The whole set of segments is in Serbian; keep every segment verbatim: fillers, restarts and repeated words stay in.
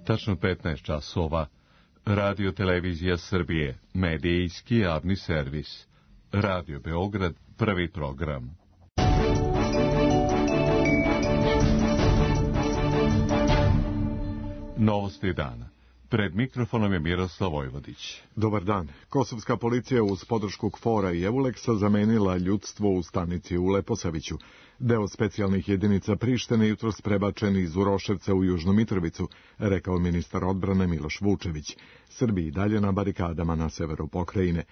Tačno petnaest časova. Radio Televizija Srbije, medijski javni servis. Radio Beograd, prvi program. Novosti dana. Pred mikrofonom je Miroslav Vojvodić. Dobar dan. Kosovska policija uz podršku KFOR-a i Euleksa zamenila ljudstvo u stanici u Leposaviću. Deo specijalnih jedinica Prištine jutros prebačen iz Uroševca u Južnu Mitrovicu, rekao ministar odbrane Miloš Vučević. Srbi i dalje na barikadama na severu pokrajine.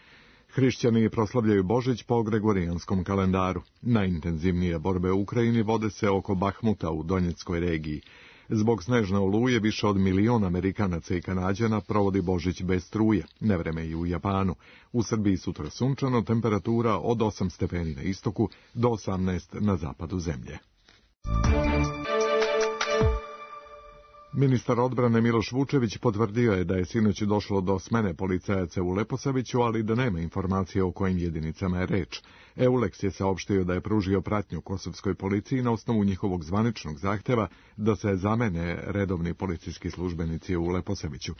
Hrišćani proslavljaju Božić po gregorijanskom kalendaru. Najintenzivnije borbe u Ukrajini vode se oko Bahmuta u Donjeckoj regiji. Zbog snežne oluje više od milion Amerikanaca i Kanađana provodi Božić bez struje, nevreme i u Japanu. U Srbiji sutra sunčano, temperatura od osam stepeni na istoku do osamnaest na zapadu zemlje. Ministar odbrane Miloš Vučević potvrdio je da je sinoć došlo do smene policajaca u Leposaviću, ali da nema informacije o kojim jedinicama je reč. Euleks je saopštio da je pružio pratnju kosovskoj policiji na osnovu njihovog zvaničnog zahteva da se zamene redovni policijski službenici u Leposaviću.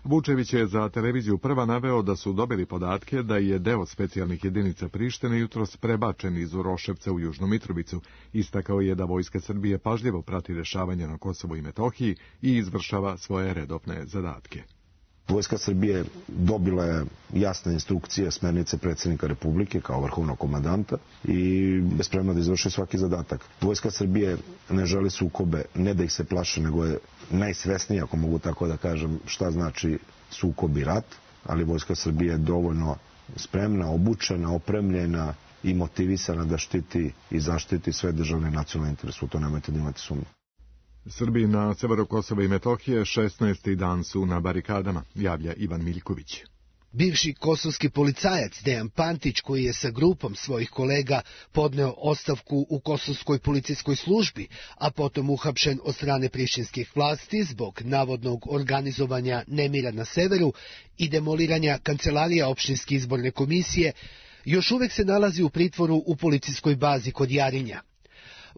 Vučević je za televiziju Prva naveo da su dobili podatke da je deo specijalnih jedinica Prištine jutros prebačen iz Uroševca u Južnu Mitrovicu. Istakao je da Vojska Srbije pažljivo prati dešavanja na Kosovu i Metohiji i izvršava svoje redovne zadatke. Vojska Srbije dobila je jasne instrukcije, smernice predsjednika Republike kao vrhovnog komandanta i je spremna da izvrši svaki zadatak. Vojska Srbije ne želi sukobe, ne da ih se plaše, nego je najsvesnija, ako mogu tako da kažem, šta znači sukob i rat, ali Vojska Srbije je dovoljno spremna, obučena, opremljena i motivisana da štiti i zaštiti sve državne nacionalne interese. U to nemojte da imate sumnju. Srbi na severu Kosova i Metohije šesnaesti dan su na barikadama, javlja Ivan Miljković. Bivši kosovski policajac Dejan Pantić, koji je sa grupom svojih kolega podneo ostavku u kosovskoj policijskoj službi, a potom uhapšen od strane prištinskih vlasti zbog navodnog organizovanja nemira na severu i demoliranja kancelarija opštinske izborne komisije, još uvek se nalazi u pritvoru u policijskoj bazi kod Jarinja.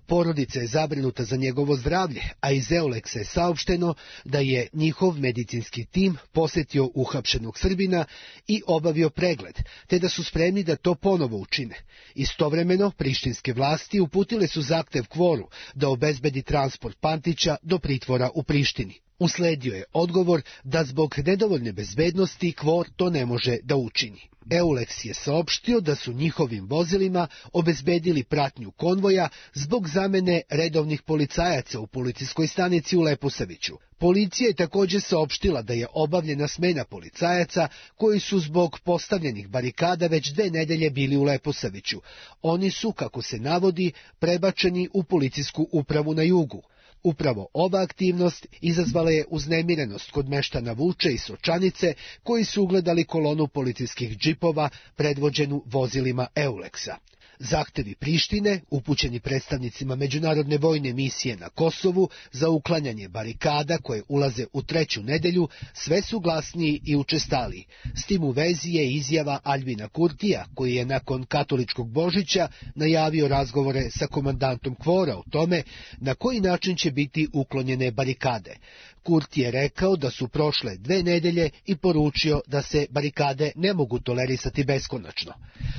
Porodica je zabrinuta za njegovo zdravlje, a iz Euleksa je saopšteno da je njihov medicinski tim posetio uhapšenog Srbina i obavio pregled, te da su spremni da to ponovo učine. Istovremeno, prištinske vlasti uputile su zahtev KFOR-u da obezbedi transport Pantića do pritvora u Prištini. Usledio je odgovor da zbog nedovoljne bezbednosti KFOR to ne može da učini. Euleks je saopštio da su njihovim vozilima obezbedili pratnju konvoja zbog zamene redovnih policajaca u policijskoj stanici u Leposaviću. Policija je također saopštila da je obavljena smena policajaca koji su zbog postavljenih barikada već dve nedelje bili u Leposaviću. Oni su, kako se navodi, prebačeni u policijsku upravu na jugu. Upravo ova aktivnost izazvala je uznemirenost kod meštana Vuče i Sočanice, koji su ugledali kolonu policijskih džipova predvođenu vozilima Euleksa. Zahtevi Prištine, upućeni predstavnicima međunarodne vojne misije na Kosovu za uklanjanje barikada koje ulaze u treću nedelju, sve su glasniji i učestaliji. S tim u vezi je izjava Aljbina Kurtija, koji je nakon katoličkog Božića najavio razgovore sa komandantom KFOR-a o tome na koji način će biti uklonjene barikade. Kurti je rekao da su prošle dve nedelje i poručio da se barikade ne mogu tolerisati beskonačno.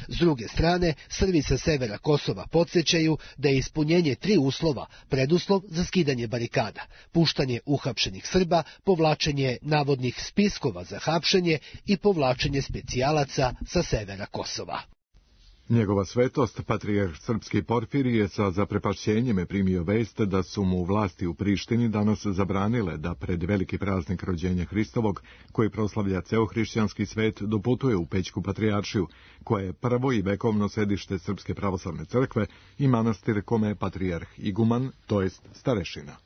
S druge strane, Srbi sa severa Kosova podsjećaju da je ispunjenje tri uslova preduslov za skidanje barikada: puštanje uhapšenih Srba, povlačenje navodnih spiskova za hapšenje i povlačenje specijalaca sa severa Kosova. Njegova svetost, patrijarh srpski Porfirije, je sa zaprepašćenjem primio vest da su mu vlasti u Prištini danas zabranile da pred veliki praznik rođenja Hristovog, koji proslavlja ceo hrišćanski svet, doputuje u Pećku patrijaršiju, koja je prvo i vekovno sedište Srpske pravoslavne crkve i manastir kome je patrijarh iguman, to jest starešina.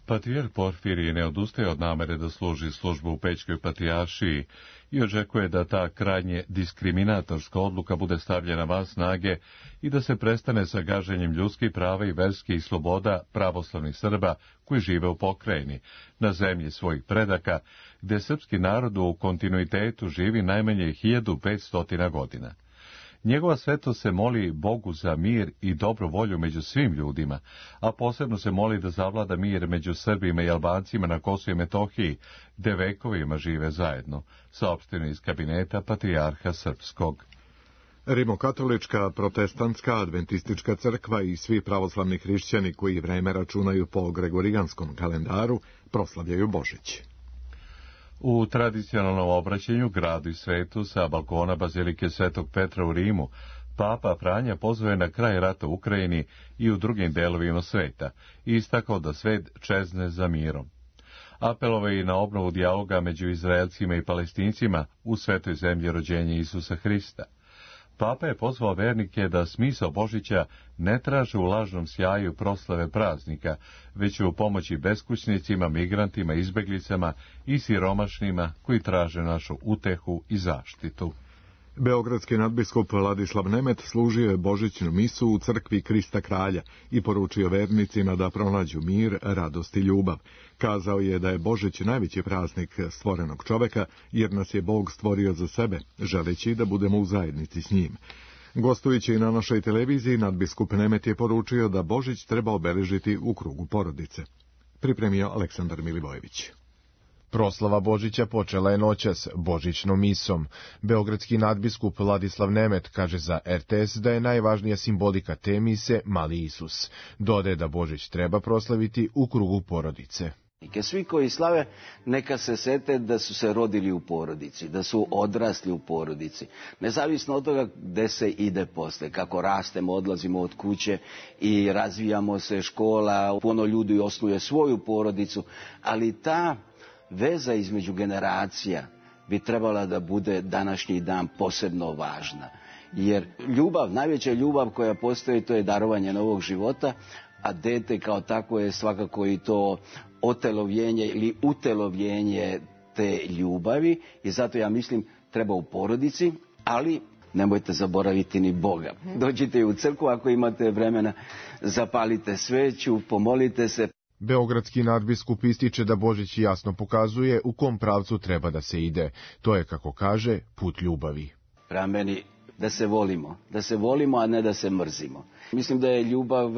Patrijarh Porfirije ne odustaje od namere da služi službu u Pećkoj patrijaršiji i očekuje da ta krajnje diskriminatorska odluka bude stavljena van snage i da se prestane sa gaženjem ljudskih prava i verskih sloboda pravoslavnih Srba koji žive u pokrajini, na zemlji svojih predaka, gde srpski narod u kontinuitetu živi najmanje hiljadu petsto godina. Njegova svetost se moli Bogu za mir i dobru volju među svim ljudima, a posebno se moli da zavlada mir među Srbima i Albancima na Kosovu i Metohiji, gde vekovima žive zajedno, saopšteno iz kabineta Patrijarha Srpskog. Rimokatolička, protestantska, adventistička crkva i svi pravoslavni hrišćani koji vreme računaju po gregorijanskom kalendaru proslavljaju Božić. U tradicionalnom obraćanju gradu i svetu sa balkona Bazilike Svetog Petra u Rimu, Papa Franja pozvao je na kraj rata u Ukrajini i u drugim delovima sveta i istakao da svet čezne za mirom. Apelovao je i na obnovu dijaloga među Izraelcima i Palestincima u svetoj zemlji rođenja Isusa Hrista. Papa je pozvao vernike da smisao Božića ne traže u lažnom sjaju proslave praznika, već u pomoći beskućnicima, migrantima, izbeglicama i siromašnima koji traže našu utehu i zaštitu. Beogradski nadbiskup Ladislav Nemet služio je božićnu misu u crkvi Krista Kralja i poručio vernicima da pronađu mir, radost i ljubav. Kazao je da je Božić najveći praznik stvorenog čoveka, jer nas je Bog stvorio za sebe, želeći da budemo u zajednici s njim. Gostujući na našoj televiziji, nadbiskup Nemet je poručio da Božić treba obeležiti u krugu porodice. Pripremio Aleksandar Milivojević. Proslava Božića počela je noćas božićnom misom. Beogradski nadbiskup Ladislav Nemet kaže za er te es da je najvažnija simbolika te mise Mali Isus. Dodaje da Božić treba proslaviti u krugu porodice. Svi koji slave neka se sete da su se rodili u porodici, da su odrasli u porodici. Nezavisno od toga gde se ide posle, kako rastemo, odlazimo od kuće i razvijamo se, škola, puno ljudi osnuje svoju porodicu, ali ta veza između generacija bi trebala da bude današnji dan posebno važna. Jer ljubav, najveća ljubav koja postoji, to je darovanje novog života, a dete kao tako je svakako i to otelovljenje ili utelovljenje te ljubavi. I zato ja mislim treba u porodici, ali nemojte zaboraviti ni Boga. Dođite u crkvu ako imate vremena, zapalite sveću, pomolite se. Beogradski nadbiskup ističe da Božić jasno pokazuje u kom pravcu treba da se ide. To je, kako kaže, put ljubavi. Prema meni da se volimo, da se volimo, a ne da se mrzimo. Mislim da je ljubav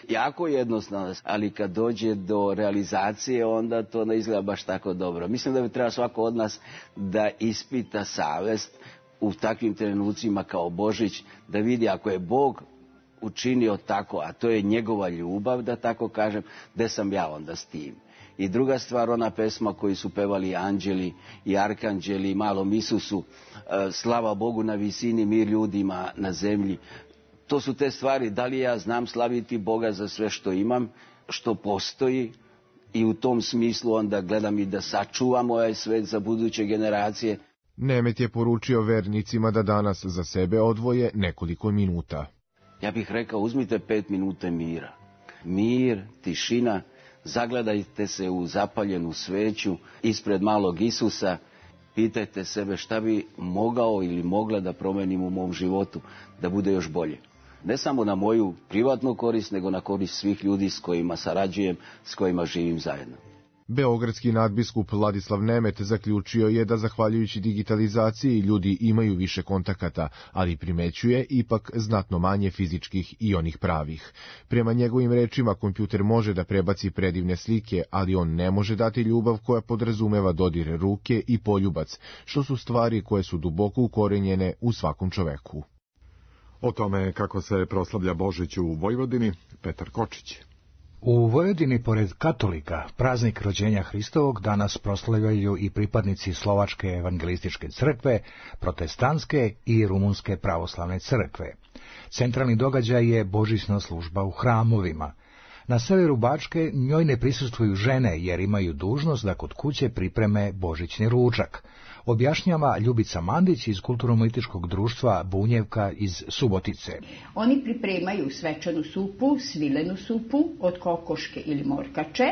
jako jednostavna, ali kad dođe do realizacije, onda to ne izgleda baš tako dobro. Mislim da bi treba svako od nas da ispita savest u takvim trenucima kao Božić, da vidi ako je Bog učinio tako, a to je njegova ljubav, da tako kažem, gde sam ja onda s tim. I druga stvar, ona pesma koju su pevali anđeli i arkanđeli malom Isusu, slava Bogu na visini, mir ljudima na zemlji. To su te stvari, da li ja znam slaviti Boga za sve što imam, što postoji, i u tom smislu onda gledam i da sačuvam ovaj svet za buduće generacije. Nemet je poručio vernicima da danas za sebe odvoje nekoliko minuta. Ja bih rekao, uzmite pet minuta mira. Mir, tišina, zagledajte se u zapaljenu sveću ispred malog Isusa, pitajte sebe šta bi mogao ili mogla da promenim u mom životu, da bude još bolje. Ne samo na moju privatnu korist, nego na korist svih ljudi s kojima sarađujem, s kojima živim zajedno. Beogradski nadbiskup Ladislav Nemet zaključio je da zahvaljujući digitalizaciji ljudi imaju više kontakata, ali primećuje ipak znatno manje fizičkih i onih pravih. Prema njegovim rečima, kompjuter može da prebaci predivne slike, ali on ne može dati ljubav koja podrazumeva dodir ruke i poljubac, što su stvari koje su duboko ukorenjene u svakom čoveku. O tome kako se proslavlja Božić u Vojvodini, Petar Kočić. U Vojvodini, pored katolika, praznik rođenja Hristovog danas proslavljaju i pripadnici Slovačke evangelističke crkve, protestantske i rumunske pravoslavne crkve. Centralni događaj je božićna služba u hramovima. Na severu Bačke njoj ne prisustvuju žene jer imaju dužnost da kod kuće pripreme božićni ručak. Objašnjava Ljubica Mandić iz Kulturno-političkog društva Bunjevka iz Subotice. Oni pripremaju svečanu supu, svilenu supu od kokoške ili morkače.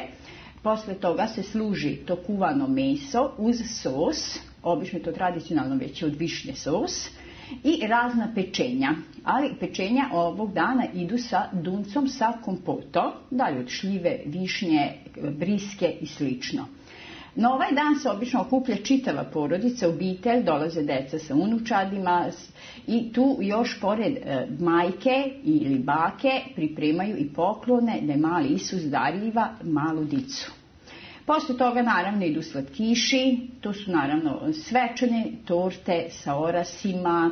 Posle toga se služi to kuvano meso uz sos, obično je to tradicionalno već od višnje sos, i razna pečenja. Ali pečenja ovog dana idu sa duncom, sa kompoto, dalje od šljive, višnje, briske i slično. Na ovaj dan se obično okuplja čitava porodica, obitelj, dolaze deca sa unučadima i tu još pored e, majke ili bake pripremaju i poklone da je mali Isus darljiva malu dicu. Posle toga naravno idu slatkiši, to su naravno svečane torte sa orasima,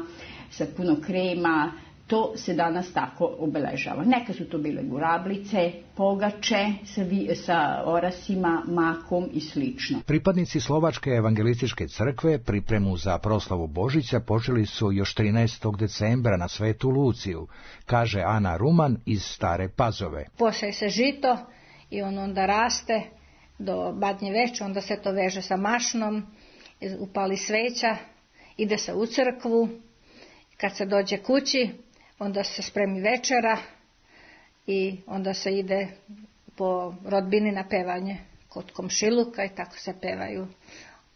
sa puno krema. To se danas tako obeležava. Neka su to bile gurablice, pogače sa, vi, sa orasima, makom i slično. Pripadnici Slovačke evangelističke crkve pripremu za proslavu Božića počeli su još trinaestog decembra na Svetu Luciju, kaže Ana Ruman iz Stare Pazove. Poseje se žito i on onda raste do badnje veče, onda se to veže sa mašnom, upali sveća, ide se u crkvu, kad se dođe kući, onda se spremi večera i onda se ide po rodbini na pevanje kod komšiluka i tako se pevaju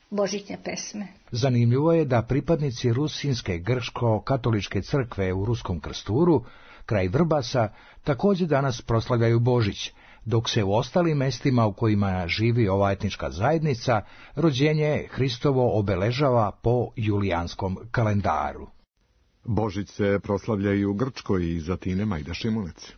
božićne pesme. Zanimljivo je da pripadnici Rusinske grško-katoličke crkve u Ruskom Krsturu, kraj Vrbasa, također danas proslavljaju Božić, dok se u ostalim mestima u kojima živi ova etnička zajednica rođenje Hristovo obeležava po julijanskom kalendaru. Božić se proslavlja i u Grčkoj i za Tine Majda Šimunec.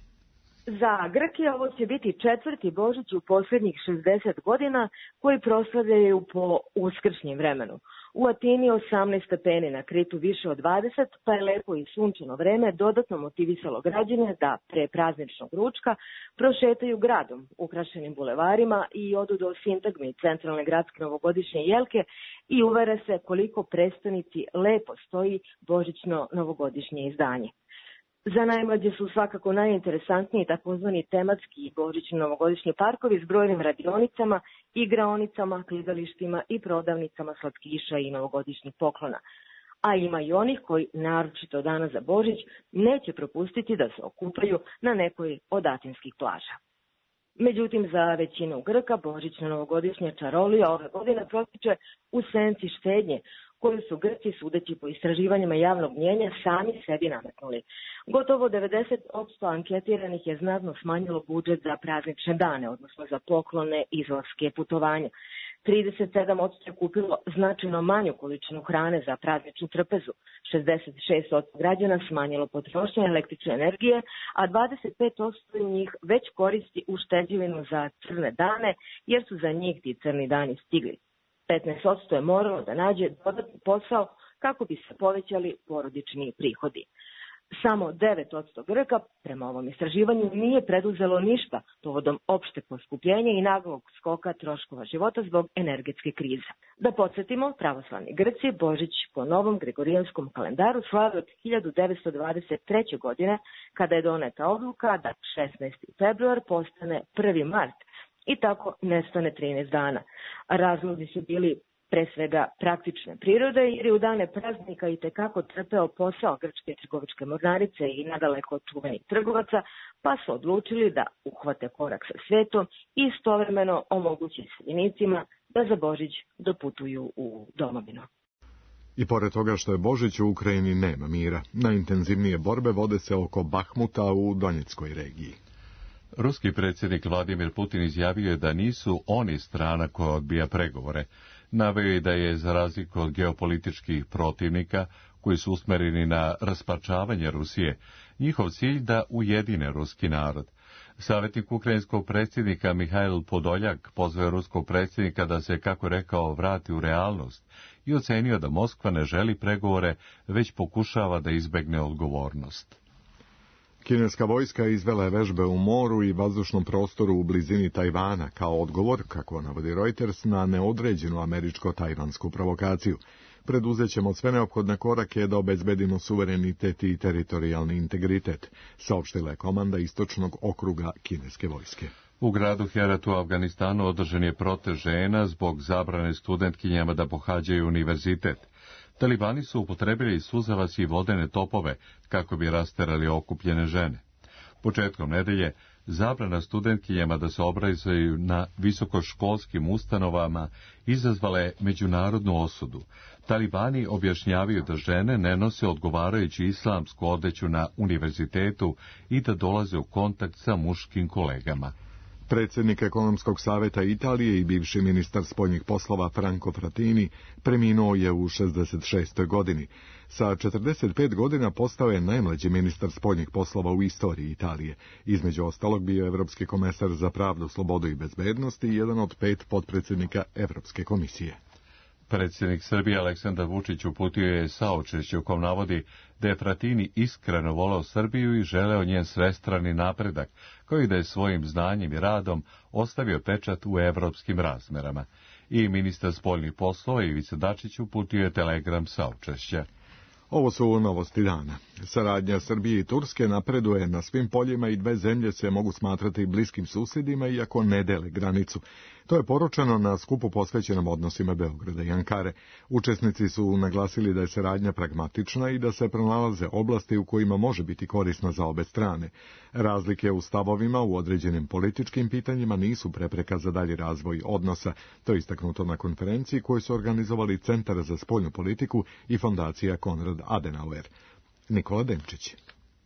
Za Grke ovo će biti četvrti Božić u posljednjih šezdeset godina koji proslavljaju po uskršnjem vremenu. U Atini osamnaest stepeni, na Kritu više od dvadeset, pa je lepo i sunčano vreme dodatno motivisalo građane da pre prazničnog ručka prošetaju gradom, ukrašenim bulevarima i odu do sintagme centralne gradske novogodišnje jelke i uvere se koliko prestonici lepo stoji božićno-novogodišnje izdanje. Za najmlađe su svakako najinteresantniji takozvani tematski božićno-novogodišnji parkovi s brojnim radionicama, igraonicama, klizalištima i prodavnicama slatkiša i novogodišnjih poklona. A ima i onih koji, naročito dana za Božić, neće propustiti da se okupaju na nekoj od atinskih plaža. Međutim, za većinu Grka božićno-novogodišnja čarolija ove godine protiče u senci štednje, koju su Grci, sudeći po istraživanjima javnog mnjenja, sami sebi nametnuli. Gotovo devedeset posto anketiranih je znatno smanjilo budžet za praznične dane, odnosno za poklone, izlaske, putovanja. trideset sedam posto je kupilo značajno manju količinu hrane za prazničnu trpezu, šezdeset šest posto građana smanjilo potrošnju električne energije, a dvadeset pet posto njih već koristi ušteđevinu za crne dane, jer su za njih ti crni dani stigli. petnaest posto je moralo da nađe dodatni posao kako bi se povećali porodični prihodi. Samo devet posto Grka, prema ovom istraživanju, nije preduzelo ništa povodom opšte poskupljenja i naglog skoka troškova života zbog energetske krize. Da podsjetimo, pravoslavni Grci Božić po novom gregorijanskom kalendaru slave od hiljadu devetsto dvadeset treće. godine, kada je doneta odluka da šesnaesti februar postane prvi mart, i tako nestane trinaest dana. Razlozi su bili pre svega praktične prirode, jer je u dane praznika i tekako trpeo posao grčke trgovačke mornarice i nadaleko čuvenih trgovaca, pa su odlučili da uhvate korak sa svetom i istovremeno omogući seljenicima da za Božić doputuju u domovinu. I pored toga što je Božić, u Ukrajini nema mira. Najintenzivnije borbe vode se oko Bahmuta u Donjeckoj regiji. Ruski predsjednik Vladimir Putin izjavio je da nisu oni strana koja odbija pregovore. Naveo je da je, za razliku od geopolitičkih protivnika, koji su usmereni na rasparčavanje Rusije, njihov cilj da ujedine ruski narod. Savjetnik ukrajinskog predsjednika Mihajl Podoljak pozvao ruskog predsjednika da se, kako rekao, vrati u realnost i ocenio da Moskva ne želi pregovore, već pokušava da izbegne odgovornost. Kineska vojska izvela je vežbe u moru i vazdušnom prostoru u blizini Tajvana kao odgovor, kako navodi Reuters, na neodređenu američko-tajvansku provokaciju. Preduzet ćemo sve neophodne korake da obezbedimo suverenitet i teritorijalni integritet, saopštila je komanda istočnog okruga kineske vojske. U gradu Heratu u Afganistanu održan je protest žena zbog zabrane studentkinjama da pohađaju univerzitet. Talibani su upotrebili suzavac i vodene topove kako bi rasterali okupljene žene. Početkom nedelje zabrana studentkinjama da se obrazuju na visokoškolskim ustanovama izazvala je međunarodnu osudu. Talibani objašnjavaju da žene ne nose odgovarajuću islamsku odeću na univerzitetu i da dolaze u kontakt sa muškim kolegama. Predsjednik ekonomskog saveta Italije i bivši ministar spoljnih poslova Franco Frattini preminuo je u šezdeset šestoj godini. Sa četrdeset pet godina postao je najmlađi ministar spoljnih poslova u istoriji Italije. Između ostalog bio je evropski komesar za pravdu, slobodu i bezbednost i jedan od pet potpredsjednika Evropske komisije. Predsjednik Srbije Aleksandar Vučić uputio je saučešće u kom navodi da je Frattini iskreno voleo Srbiju i želeo njen svestrani napredak, kao i da je svojim znanjem i radom ostavio pečat u evropskim razmerama. I ministar spoljnih poslova Ivica Dačić uputio je telegram saučešća. Ovo su novosti dana. Saradnja Srbije i Turske napreduje na svim poljima i dve zemlje se mogu smatrati bliskim susjedima iako ne dele granicu. To je poručeno na skupu posvećenom odnosima Beograda i Ankare. Učesnici su naglasili da je saradnja pragmatična i da se pronalaze oblasti u kojima može biti korisna za obe strane. Razlike u stavovima u određenim političkim pitanjima nisu prepreka za dalji razvoj odnosa. To je istaknuto na konferenciji koju su organizovali Centar za spoljnu politiku i fondacija Konrad Adenauer. Nikola Demčić.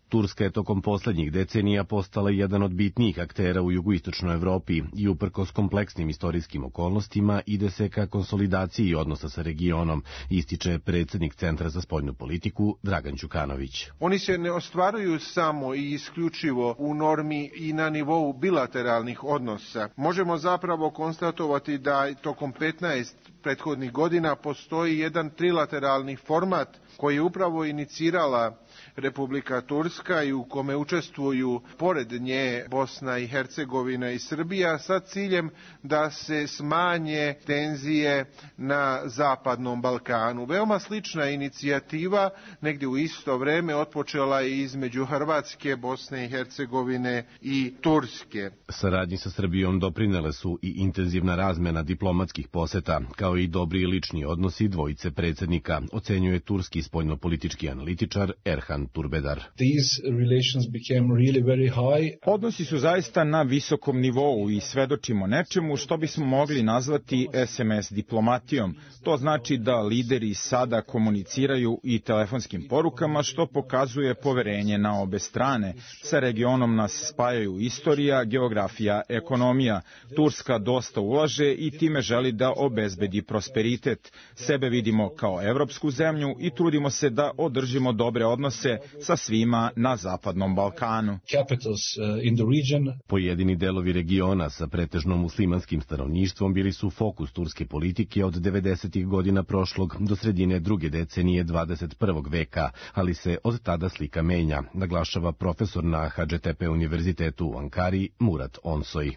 Turska je tokom posljednjih decenija postala jedan od bitnijih aktera u jugoistočnoj Evropi i uprkos kompleksnim istorijskim okolnostima ide se ka konsolidaciji odnosa sa regionom, ističe predsjednik Centra za spoljnu politiku Dragan Đukanović. Oni se ne ostvaruju samo i isključivo u normi i na nivou bilateralnih odnosa. Možemo zapravo konstatovati da tokom petnaest prethodnih godina postoji jedan trilateralni format koji je upravo inicirala Republika Turska i u kome učestvuju pored nje Bosna i Hercegovina i Srbija sa ciljem da se smanje tenzije na Zapadnom Balkanu. Veoma slična inicijativa negdje u isto vreme otpočela je između Hrvatske, Bosne i Hercegovine i Turske. Saradnji sa Srbijom doprinele su i intenzivna razmena diplomatskih poseta, kao i dobri lični odnosi dvojice predsjednika, ocenjuje turski spoljnopolitički analitičar Erhan Turbedar. Odnosi su zaista na visokom nivou i svedočimo nečemu što bismo mogli nazvati es em es diplomatijom. To znači da lideri sada komuniciraju i telefonskim porukama, što pokazuje poverenje na obe strane. Sa regionom nas spajaju istorija, geografija, ekonomija. Turska dosta ulaže i time želi da obezbedi prosperitet. Sebe vidimo kao evropsku zemlju i trudimo se da održimo dobre odnose sa svima na Zapadnom Balkanu. Pojedini delovi regiona sa pretežno muslimanskim stanovništvom bili su fokus turske politike od devedesetih godina prošlog do sredine druge decenije dvadeset prvog veka, ali se od tada slika menja, naglašava profesor na ha dže te pe univerzitetu u Ankari Murat Onsoj.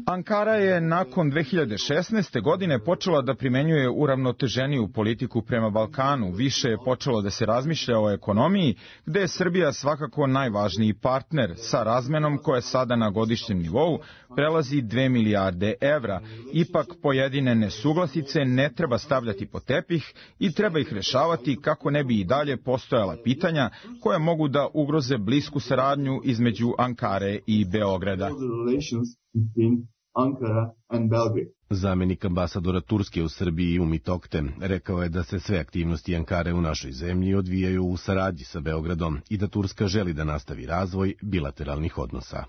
Ankara je nakon dve hiljade šesnaeste. godine počela da primenjuje uravnoteženiju politiku prema Balkanu. Više je počelo da se razmišlja o ekonomiji, gde je Srbija svakako najvažniji partner sa razmenom koja je sada na godišnjem nivou prelazi dve milijarde evra. Ipak pojedine nesuglasice ne treba stavljati pod tepih i treba ih rešavati kako ne bi i dalje postojala pitanja koja mogu da ugroze blisku saradnju između Ankare i Beograda. Zamenik ambasadora Turske u Srbiji Umit Okte rekao je da se sve aktivnosti Ankare u našoj zemlji odvijaju u saradnji sa Beogradom i da Turska želi da nastavi razvoj bilateralnih odnosa.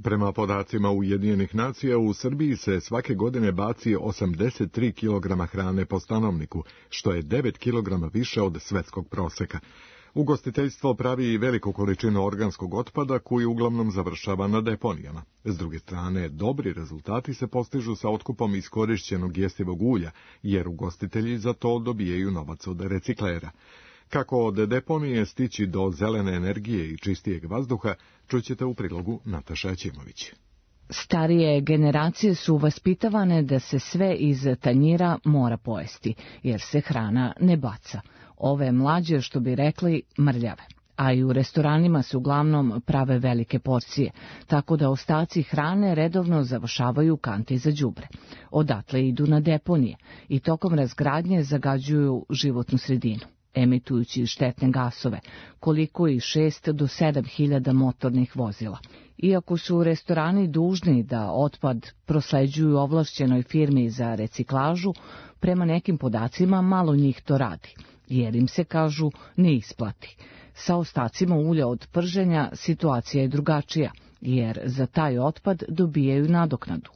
Prema podacima Ujedinjenih nacija, u Srbiji se svake godine baci osamdeset tri kilograma hrane po stanovniku, što je devet kilograma više od svetskog proseka. Ugostiteljstvo pravi i veliku količinu organskog otpada koji uglavnom završava na deponijama. S druge strane, dobri rezultati se postižu sa otkupom iskorišćenog jestivog ulja, jer ugostitelji za to dobijaju novac od reciklera. Kako od deponije stići do zelene energije i čistijeg vazduha, čućete u prilogu Nataša Ćimović. Starije generacije su vaspitavane da se sve iz tanjira mora pojesti, jer se hrana ne baca. Ove mlađe, što bi rekli, mrljave. A i u restoranima se uglavnom prave velike porcije, tako da ostaci hrane redovno završavaju kanti za đubre. Odatle idu na deponije i tokom razgradnje zagađuju životnu sredinu, emitujući štetne gasove, koliko i šest do sedam hiljada motornih vozila. Iako su restorani dužni da otpad prosleđuju ovlašćenoj firmi za reciklažu, prema nekim podacima malo njih to radi, jer im se, kažu, ne isplati. Sa ostacima ulja od prženja situacija je drugačija. jer za taj otpad dobijaju nadoknadu.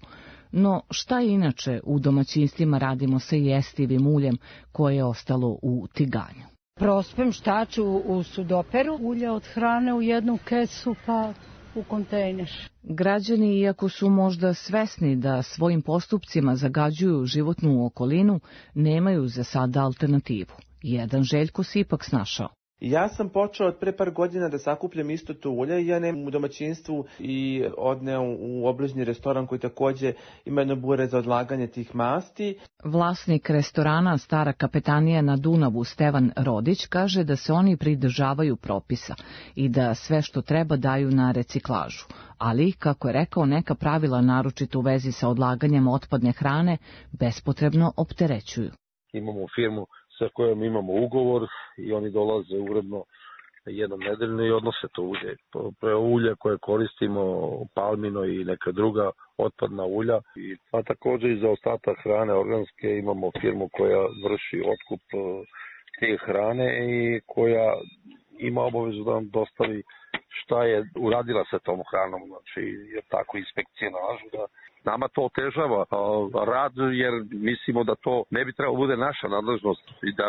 No šta inače u domaćinstvima radimo sa jestivim uljem koje je ostalo u tiganju? Prospem štaču u sudoperu, ulje od hrane u jednu kesu pa u kontejner. Građani, iako su možda svesni da svojim postupcima zagađuju životnu okolinu, nemaju za sada alternativu. Jedan Željko se ipak snašao. Ja sam počeo od pre par godina da sakupljam isto to ulje i ja nemam u domaćinstvu i odneo u obližnji restoran koji takođe ima jedno bure za odlaganje tih masti. Vlasnik restorana Stara kapetanija na Dunavu Stevan Rodić kaže da se oni pridržavaju propisa i da sve što treba daju na reciklažu, ali, kako je rekao, neka pravila naročito u vezi sa odlaganjem otpadne hrane bespotrebno opterećuju. Imamo firmu sa kojom imamo ugovor i oni dolaze uredno jednom nedeljno i odnose to ulje. Ulje koje koristimo, palmino i neka druga otpadna ulja. A također i za ostatak hrane organske imamo firmu koja vrši otkup te hrane i koja ima obavezu da nam dostavi šta je uradila sa tom hranom. Znači, jer tako inspekcije nalažu da nama to otežava rad, jer mislimo da to ne bi trebalo bude naša nadležnost i da,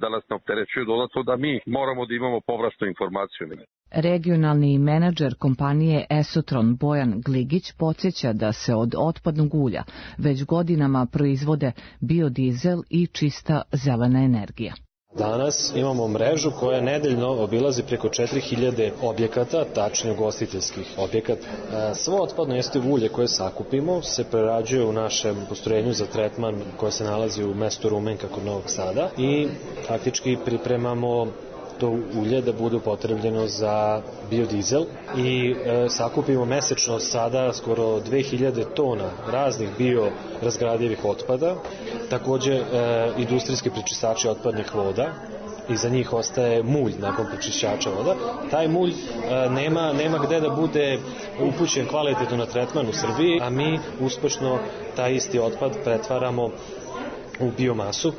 da nas ne opterećuju dodatno, da mi moramo da imamo povratnu informaciju. Regionalni menadžer kompanije Esotron Bojan Gligić podsjeća da se od otpadnog ulja već godinama proizvode biodizel i čista zelena energija. Danas imamo mrežu koja nedeljno obilazi preko četiri hiljade objekata, tačnije ugostiteljskih objekata. Svo otpadno jestivo ulje koje sakupimo se prerađuje u našem postrojenju za tretman koje se nalazi u mestu Rumenka kod Novog Sada i faktički pripremamo to ulje da bude upotrebljeno za biodizel i e, sakupimo mesečno sada skoro dve hiljade tona raznih biorazgradivih otpada, takođe e, industrijski prečistači otpadnih voda i za njih ostaje mulj nakon prečišćača voda. Taj mulj e, nema, nema gde da bude upućen kvalitetno na tretman u Srbiji, a mi uspešno taj isti otpad pretvaramo u biomasu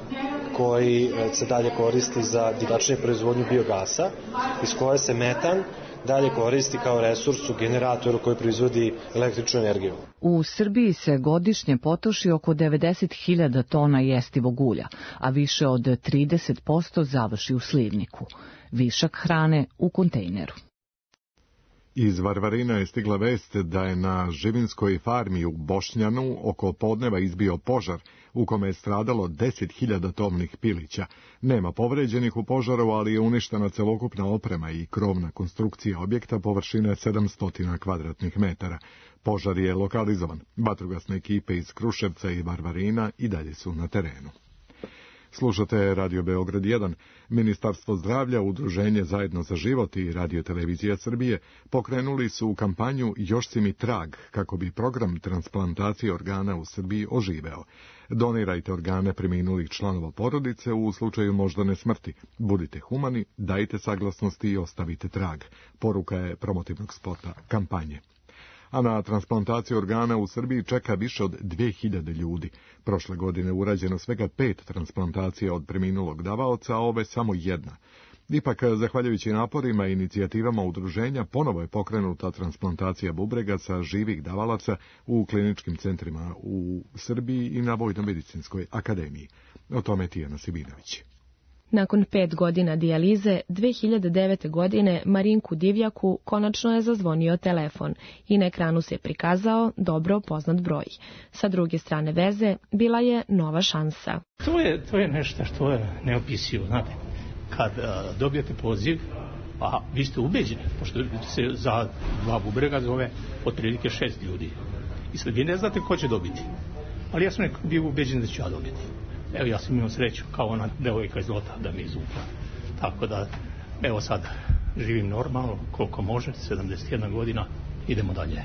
koji se dalje koristi za tačnije proizvodnju biogasa, iz koje se metan dalje koristi kao resurs u generatoru koji proizvodi električnu energiju. U Srbiji se godišnje potroši oko devedeset hiljada tona jestivog ulja, a više od trideset posto završi u slivniku. Višak hrane u kontejneru. Iz Varvarina je stigla vest da je na živinskoj farmi u Bošnjanu oko podneva izbio požar u kome je stradalo deset hiljada tovnih pilića. Nema povređenih u požaru, ali je uništena celokupna oprema i krovna konstrukcija objekta površine sedamsto kvadratnih metara. Požar je lokalizovan. Vatrogasne ekipe iz Kruševca i Varvarina i dalje su na terenu. Slušate Radio Beograd jedan. Ministarstvo zdravlja, Udruženje Zajedno za život i Radio Televizija Srbije pokrenuli su kampanju Još si mi trag kako bi program transplantacije organa u Srbiji oživeo. Donirajte organe preminulih članova porodice u slučaju moždane smrti. Budite humani, dajte saglasnosti i ostavite trag. Poruka je promotivnog spota kampanje. A na transplantaciju organa u Srbiji čeka više od dve hiljade ljudi. Prošle godine urađeno svega pet transplantacija od preminulog davaoca, a ove samo jedna. Ipak, zahvaljujući naporima i inicijativama udruženja, ponovo je pokrenuta transplantacija bubrega sa živih davalaca u kliničkim centrima u Srbiji i na Vojno-medicinskoj akademiji. O tome Tijana Sibinović. Nakon pet godina dijalize, dve hiljade devete. godine Marinku Divjaku konačno je zazvonio telefon i na ekranu se prikazao dobro poznat broj. Sa druge strane veze bila je nova šansa. To je, to je nešto što je neopisivo, znate. Kad a, dobijete poziv, a vi ste ubeđeni, pošto se za dva bubrega zove otprilike šest ljudi. I sad vi ne znate ko će dobiti. Ali ja sam bio ubeđen da ću ja dobiti. Evo, ja sam imao sreću kao ona devojka iz Lota da mi izvukla. Tako da, evo sad, živim normalno, koliko može, sedamdeset jedna godina, idemo dalje.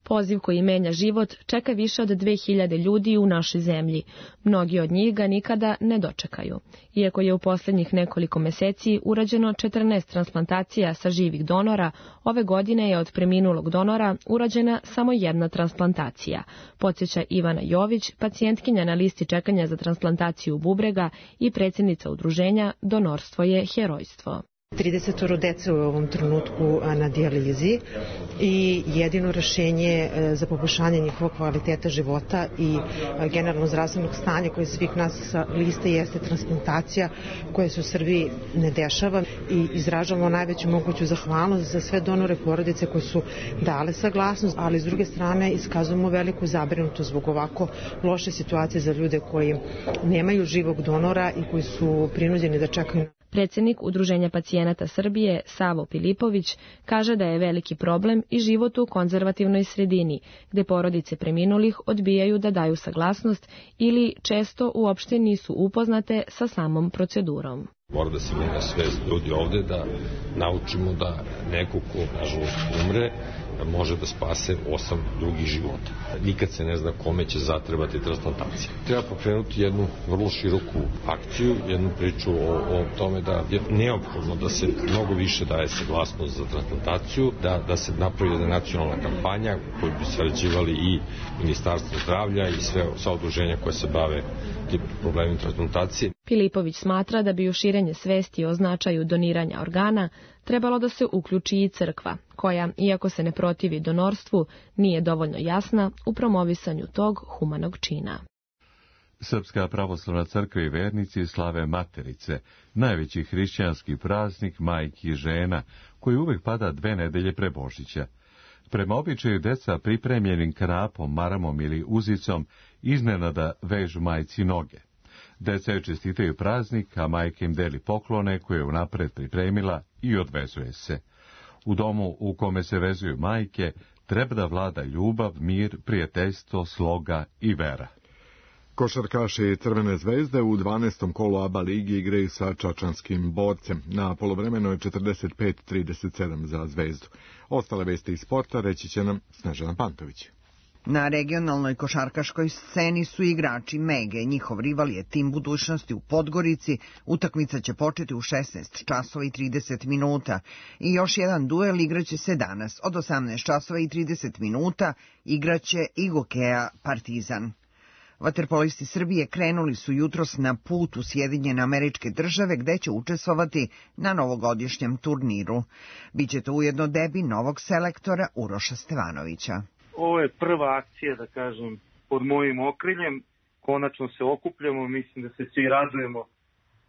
Poziv koji menja život čeka više od dve hiljade ljudi u našoj zemlji. Mnogi od njih ga nikada ne dočekaju. Iako je u posljednjih nekoliko meseci urađeno četrnaest transplantacija sa živih donora, ove godine je od preminulog donora urađena samo jedna transplantacija. Podsjeća Ivana Jović, pacijentkinja na listi čekanja za transplantaciju bubrega i predsjednica udruženja Donorstvo je herojstvo. trideset dece u ovom trenutku na dijalizi i jedino rešenje za poboljšanje njihovog kvaliteta života i generalno zdravstvenog stanja koje svih nas sa liste jeste transplantacija koja se u Srbiji ne dešava i izražavamo najveću moguću zahvalnost za sve donore porodice koje su dale saglasnost, ali s druge strane iskazujemo veliku zabrinutost zbog ovako loše situacije za ljude koji nemaju živog donora i koji su prinuđeni da čekaju. Predsjednik Udruženja pacijenata Srbije, Savo Pilipović, kaže da je veliki problem i život u konzervativnoj sredini, gde porodice preminulih odbijaju da daju saglasnost ili često uopšte nisu upoznate sa samom procedurom. Mora da se menja svest ljudi ovde, da naučimo da neko ko, nažalost, umre, može da spase osam drugih života. Nikad se ne zna kome će zatrebati transplantacija. Treba pokrenuti jednu vrlo široku akciju, jednu priču o, o tome da je neophodno da se mnogo više daje saglasnost za transplantaciju, da, da se napravi jedna nacionalna kampanja koju bi sarađivali i Ministarstvo zdravlja i sve, sva udruženja koje se bave tim problemom transplantacije. Pilipović smatra da bi u širenje svesti o značaju doniranja organa trebalo da se uključi i crkva, koja, iako se ne protivi donorstvu, nije dovoljno jasna u promovisanju tog humanog čina. Srpska pravoslavna crkva i vernici slave Materice, najveći hrišćanski praznik majki i žena, koji uvek pada dve nedelje pre Božića. Prema običaju deca pripremljenim kanapom, maramom ili uzicom iznenada vežu majci noge. Deca joj čestitaju praznik, a majka im deli poklone koje je unapred pripremila i odvezuje se. U domu u kome se vezuju majke treba da vlada ljubav, mir, prijateljstvo, sloga i vera. Košarkaši Crvene zvezde u dvanaestom kolu A B A ligi igraju sa čačanskim Borcem. Na poluvremenu je četrdeset pet trideset sedam za Zvezdu. Ostale vesti iz sporta reći će nam Snežana Pantović. Na regionalnoj košarkaškoj sceni su igrači Mege. Njihov rival je Tim budućnosti u Podgorici. Utakmica će početi u šesnaest časova i trideset minuta. I još jedan duel igraće se danas. Od osamnaest časova i trideset minuta igraće i Gokeja Partizan. Vaterpolisti Srbije krenuli su jutros na put u Sjedinjene Američke Države gde će učestvovati na novogodišnjem turniru. Biće to ujedno debi novog selektora Uroša Stevanovića. Ovo je prva akcija, da kažem, pod mojim okriljem. Konačno se okupljamo, mislim da se svi radujemo.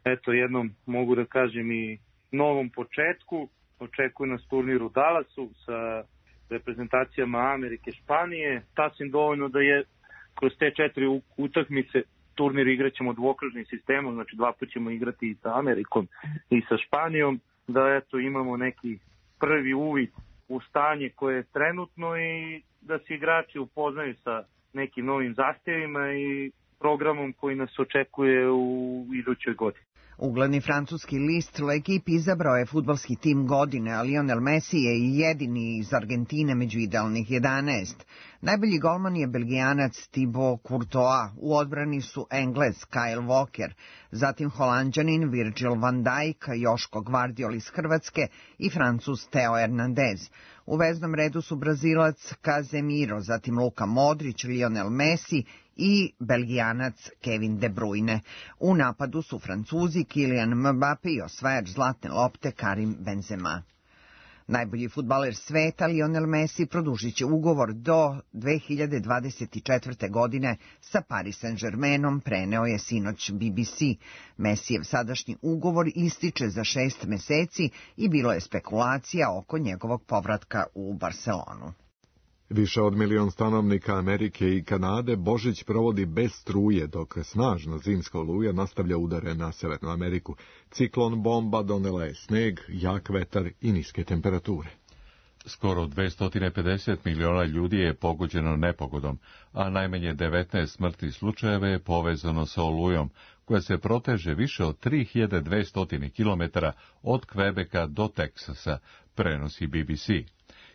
Eto, jednom mogu da kažem i novom početku. Očekuju nas turnir u Dallasu sa reprezentacijama Amerike, Španije. Sasvim dovoljno da je kroz te četiri utakmice turnir igraćemo dvokružnim sistemom, znači dva put ćemo igrati i sa Amerikom i sa Španijom, da eto imamo neki prvi uvid u stanje koje je trenutno i da se igrači upoznaju sa nekim novim zahtjevima i programom koji nas očekuje u idućoj godini. Ugledni francuski list L'Equipe izabrao je fudbalski tim godine, a Lionel Messi je i jedini iz Argentine među idealnih jedanaest. Najbolji golman je Belgijanac Thibaut Courtois, u odbrani su Englez Kyle Walker, zatim Holanđanin Virgil van Dijk, Joško Gvardiol iz Hrvatske i Francuz Theo Hernandez. U veznom redu su Brazilac Casemiro, zatim Luka Modrić, Lionel Messi i Belgijanac Kevin De Bruyne. U napadu su Francuzi Kylian Mbappé i osvajač zlatne lopte Karim Benzema. Najbolji fudbaler sveta Lionel Messi produžit će ugovor do dve hiljade dvadeset četvrte. godine sa Paris Saint-Germainom, preneo je sinoć B B C. Messijev sadašnji ugovor ističe za šest meseci i bilo je spekulacija oko njegovog povratka u Barcelonu. Više od milion stanovnika Amerike i Kanade Božić provodi bez struje, dok snažna zimska oluja nastavlja udare na Severnu Ameriku. Ciklon bomba donela je sneg, jak vetar i niske temperature. Skoro dvesta pedeset miliona ljudi je pogođeno nepogodom, a najmanje devetnaest smrtnih slučajeva je povezano sa olujom, koja se proteže više od tri hiljade dvesta kilometara od Kvebeka do Teksasa, prenosi B B C.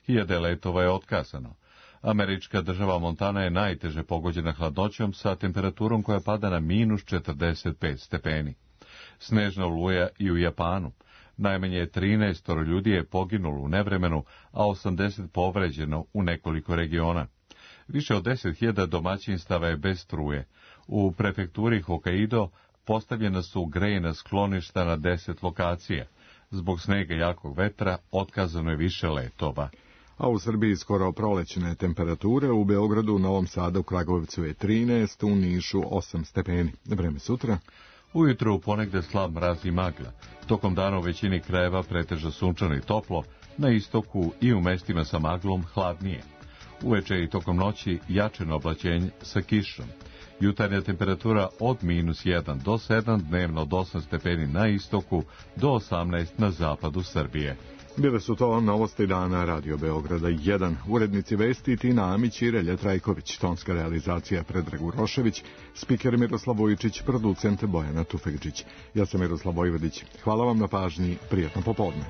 Hiljade letova je otkazano. Američka država Montana je najteže pogođena hladnoćom sa temperaturom koja pada na minus četrdeset pet stepeni. Snežna oluja i u Japanu. Najmanje trinaest ljudi je poginulo u nevremenu, a osamdeset povređeno u nekoliko regiona. Više od deset hiljada domaćinstava je bez struje. U prefekturi Hokkaido postavljena su grejna skloništa na deset lokacija. Zbog snega i jakog vetra otkazano je više letova. A u Srbiji skoro prolećne temperature, u Beogradu, Novom Sadu, u Kragujevcu je trinaest, u Nišu osam stepeni. Vreme sutra. Ujutro ponegde slab mraz i magla. Tokom dana u većini krajeva pretežno sunčano i toplo, na istoku i u mestima sa maglom hladnije. Uveče i tokom noći jačeno oblačenje sa kišom. Jutarnja temperatura od minus jedan do sedam, dnevno od osam stepeni na istoku do osamnaest na zapadu Srbije. Bile su to novosti dana Radio Beograda jedan. Urednici vesti Tina Amić i Relja Trajković, tonska realizacija Predrag Urošević, spiker Miroslav Vojčić, producent Bojana Tufekđić. Ja sam Miroslav Vojvodić. Hvala vam na pažnji, prijatno popodne.